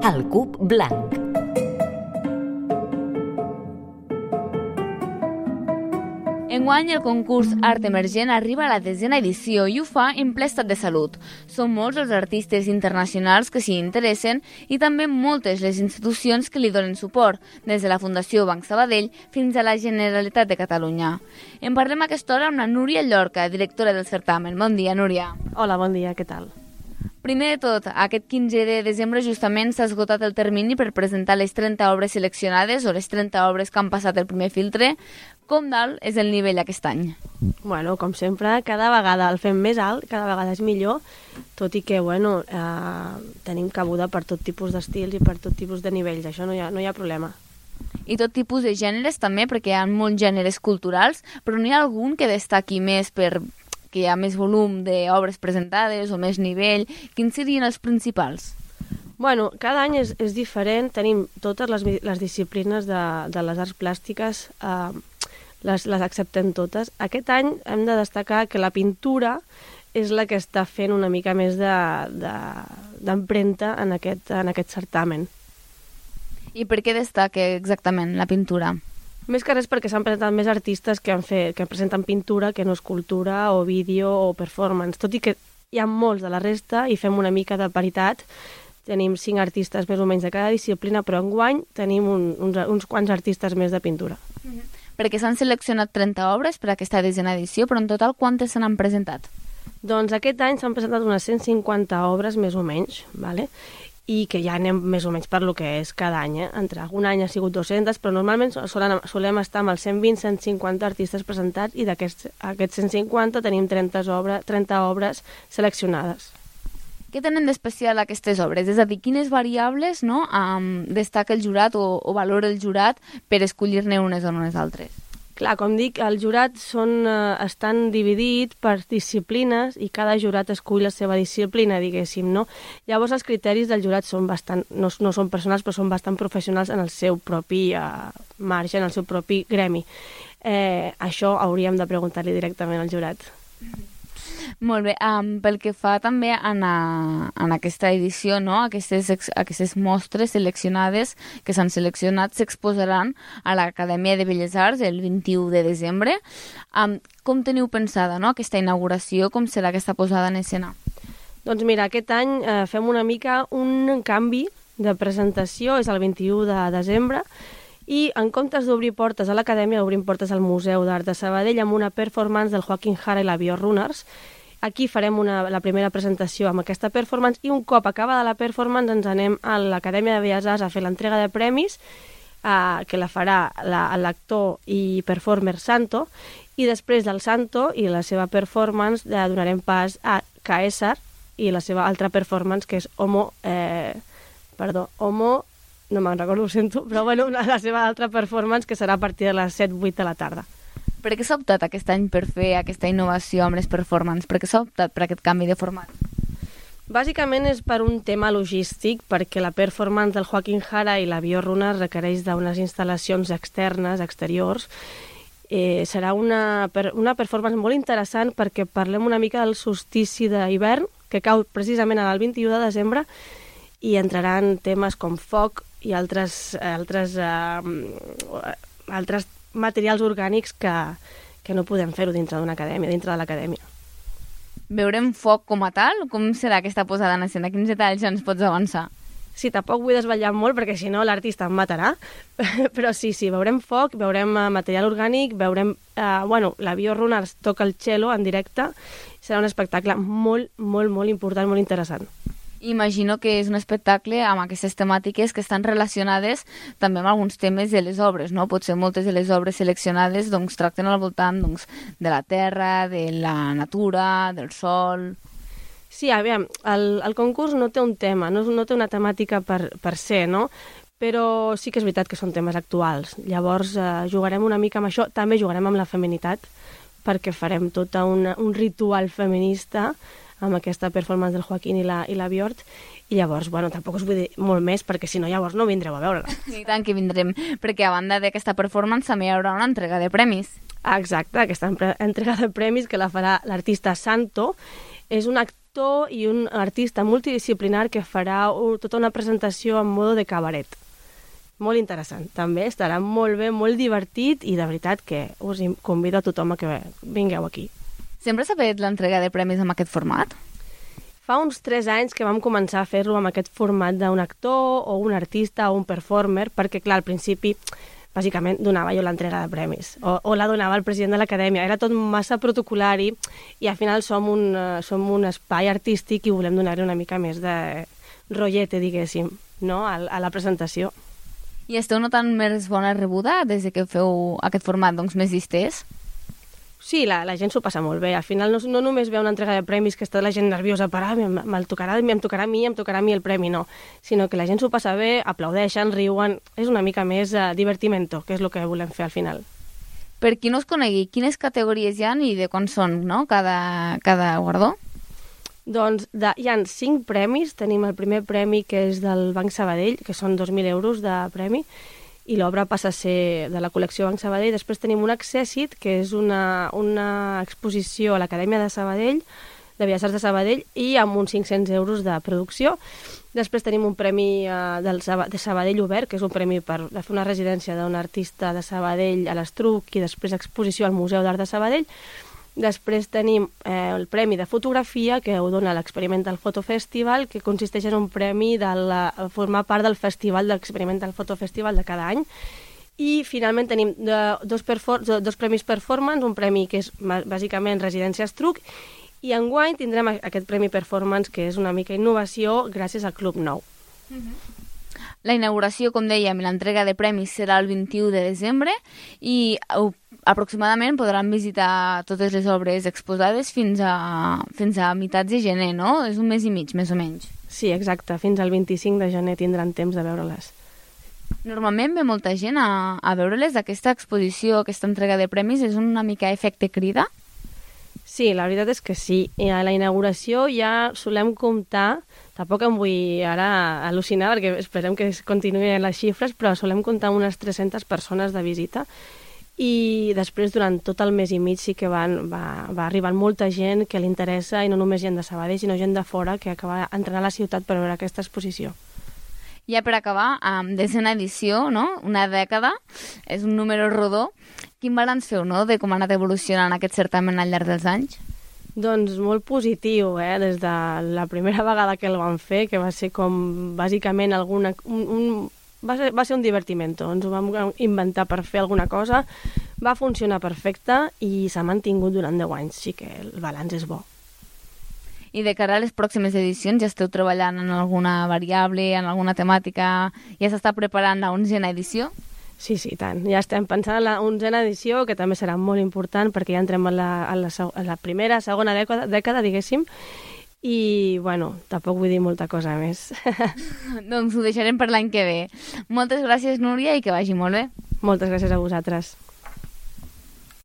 El Cub Blanc. Enguany, el concurs Art Emergent arriba a la 10a edició i ho fa en ple estat de salut. Són molts els artistes internacionals que s'hi interessen i també moltes les institucions que li donen suport, des de la Fundació Banc Sabadell fins a la Generalitat de Catalunya. En parlem a aquesta hora amb la Núria Llorca, directora del certamen. Bon dia, Núria. Hola, bon dia, què tal? Primer de tot, aquest 15 de desembre justament s'ha esgotat el termini per presentar les 30 obres seleccionades o les 30 obres que han passat el primer filtre. Com dalt és el nivell aquest any? Bueno, com sempre, cada vegada el fem més alt, cada vegada és millor, tot i que, tenim cabuda per tot tipus d'estils i per tot tipus de nivells, això no hi ha problema. I tot tipus de gèneres també, perquè hi ha molts gèneres culturals, però n'hi ha algun que destaqui més per que hi ha més volum d'obres presentades o més nivell? Quins serien els principals? Bueno, cada any és diferent, tenim totes les disciplines de les arts plàstiques, les acceptem totes. Aquest any hem de destacar que la pintura és la que està fent una mica més d'empremta en aquest certamen. I per què destaca exactament la pintura? Més que res perquè s'han presentat més artistes que presenten pintura que no escultura o vídeo o performance, tot i que hi ha molts de la resta i fem una mica de paritat. Tenim 5 artistes més o menys de cada disciplina, però enguany tenim uns quants artistes més de pintura. Perquè s'han seleccionat 30 obres per aquesta 10a edició, però en total quantes se n'han presentat? Doncs aquest any s'han presentat unes 150 obres més o menys, ¿vale? I que ja anem més o menys per lo que és cada any. Entre algun any ha sigut 200, però normalment solem estar amb els 120-150 artistes presentats i d'aquests 150 tenim 30 obres seleccionades. Què tenen d'especial aquestes obres? És a dir, quines variables destaca el jurat o valora el jurat per escollir-ne unes o unes altres? Clar, com dic, el jurat estan dividits per disciplines i cada jurat escull la seva disciplina, diguéssim, no? Llavors els criteris del jurat són no són personals, però són bastant professionals en el seu propi marge, en el seu propi gremi. Això hauríem de preguntar-li directament al jurat. Molt bé, pel que fa també en aquesta edició, no? Aquestes mostres seleccionades que s'han seleccionat s'exposaran a l'Acadèmia de Belles Arts el 21 de desembre. Com teniu pensada, no? Aquesta inauguració, com serà aquesta posada en escena? Doncs mira, aquest any fem una mica un canvi de presentació, és el 21 de desembre, i en comptes d'obrir portes a l'Acadèmia, obrim portes al Museu d'Art de Sabadell amb una performance del Joaquín Jara i la Biorunners. Aquí farem la primera presentació amb aquesta performance i un cop acabada la performance ens anem a l'Acadèmia de Belles Arts a fer l'entrega de premis que la farà l'actor i performer Santo, i després del Santo i la seva performance donarem pas a Caesar i la seva altra performance que és Homo, no me'n recordo, ho sento, però la seva altra performance que serà a partir de les 7-8 de la tarda. Per què s'ha optat aquest any per fer aquesta innovació amb les performances? Per què s'ha optat per aquest canvi de format? Bàsicament és per un tema logístic, perquè la performance del Joaquín Jara i la Biorunners requereix d'unes instal·lacions exteriors. Serà una performance molt interessant perquè parlem una mica del solstici d'hivern, que cau precisament el 21 de desembre, i entraran temes com foc i altres materials orgànics que no podem fer-ho dintre de l'acadèmia. Veurem foc com a tal? Com serà aquesta posada en escena? Quins detalls ens pots avançar? Sí, tampoc vull desvetllar molt perquè si no l'artista em matarà, però sí, veurem foc, veurem material orgànic, veurem... la Biorunners toca el cello en directe, serà un espectacle molt, molt, molt important, molt interessant. Imagino que és un espectacle amb aquestes temàtiques que estan relacionades també amb alguns temes de les obres, no? Potser moltes de les obres seleccionades tracten al voltant de la terra, de la natura, del sol... Sí, aviam, el concurs no té un tema, no té una temàtica per ser, no? Però sí que és veritat que són temes actuals. Llavors jugarem una mica amb això, també jugarem amb la feminitat, perquè farem tot un ritual feminista amb aquesta performance del Joaquín i la Biort, i llavors, tampoc us vull dir molt més, perquè si no, llavors no vindreu a veure-la. I tant que vindrem, perquè a banda d'aquesta performance també hi haurà una entrega de premis. Exacte, aquesta entrega de premis que la farà l'artista Santo, és un actor i un artista multidisciplinar que farà tota una presentació en modo de cabaret. Molt interessant. També estarà molt bé, molt divertit i de veritat que us convido a tothom a que vingueu aquí. Sempre s'ha fet l'entrega de premis amb aquest format? Fa uns 3 anys que vam començar a fer-lo amb aquest format d'un actor o un artista o un performer, perquè, clar, al principi, bàsicament, donava jo l'entrega de premis, o la donava el president de l'acadèmia. Era tot massa protocolari i al final som un espai artístic i volem donar-hi una mica més de rotllete, diguéssim, no? A la presentació. I esteu notant més bona rebuda des que feu aquest format més distès? Sí, la gent s'ho passa molt bé. Al final no només ve una entrega de premis que està la gent nerviosa per em tocarà a mi el premi, no. Sinó que la gent s'ho passa bé, aplaudeixen, riuen. És una mica més divertimento, que és el que volem fer al final. Per qui no us conegui, quines categories hi ha i de quan són, no? cada guardó? Doncs hi ha 5 premis. Tenim el primer premi, que és del Banc Sabadell, que són 2.000 euros de premi, i l'obra passa a ser de la col·lecció Banc Sabadell. Després tenim un Accessit, que és una exposició a l'Acadèmia de Sabadell, de Belles Arts de Sabadell, i amb uns 500 euros de producció. Després tenim un premi de Sabadell Obert, que és un premi per fer una residència d'un artista de Sabadell a l'Estruc i després exposició al Museu d'Art de Sabadell. Després tenim el premi de fotografia, que ho dona l'Experimental Photo Festival, que consisteix en un premi de formar part del festival d'Experimental Photo Festival de cada any. I finalment tenim dos premis performance, un premi que és bàsicament residència Estruc, i enguany tindrem aquest premi performance, que és una mica innovació gràcies al Club Nou. La inauguració, com dèiem, i l'entrega de premis serà el 21 de desembre i aproximadament podran visitar totes les obres exposades fins a meitats de gener, no? És un mes i mig, més o menys. Sí, exacte. Fins al 25 de gener tindran temps de veure-les. Normalment ve molta gent a veure-les. Aquesta exposició, aquesta entrega de premis, és una mica efecte crida? Sí, la veritat és que sí. I a la inauguració ja solem comptar, tampoc em vull ara al·lucinar perquè esperem que continuïn les xifres, però solem comptar unes 300 persones de visita. I després, durant tot el mes i mig, sí que va arribant molta gent que li interessa, i no només gent de Sabadell, sinó gent de fora que acaba entrant a la ciutat per veure aquesta exposició. Ja per acabar, desena edició, no? Una dècada, és un número rodó. Quin balanç feu, no?, de com ha anat evolucionant aquest certamen al llarg dels anys? Doncs molt positiu, des de la primera vegada que el vam fer, que va ser com, bàsicament, va ser un divertimento. Ens ho vam inventar per fer alguna cosa, va funcionar perfecte i s'ha mantingut durant 10 anys, així que el balanç és bo. I de cara a les pròximes edicions, ja esteu treballant en alguna variable, en alguna temàtica? Ja s'està preparant la 11a edició? Sí, tant. Ja estem pensant en la 11a edició, que també serà molt important perquè ja entrem a la primera, segona dècada, diguéssim, i, bueno, tampoc vull dir molta cosa més. Doncs ho deixarem per l'any que ve. Moltes gràcies, Núria, i que vagi molt bé. Moltes gràcies a vosaltres.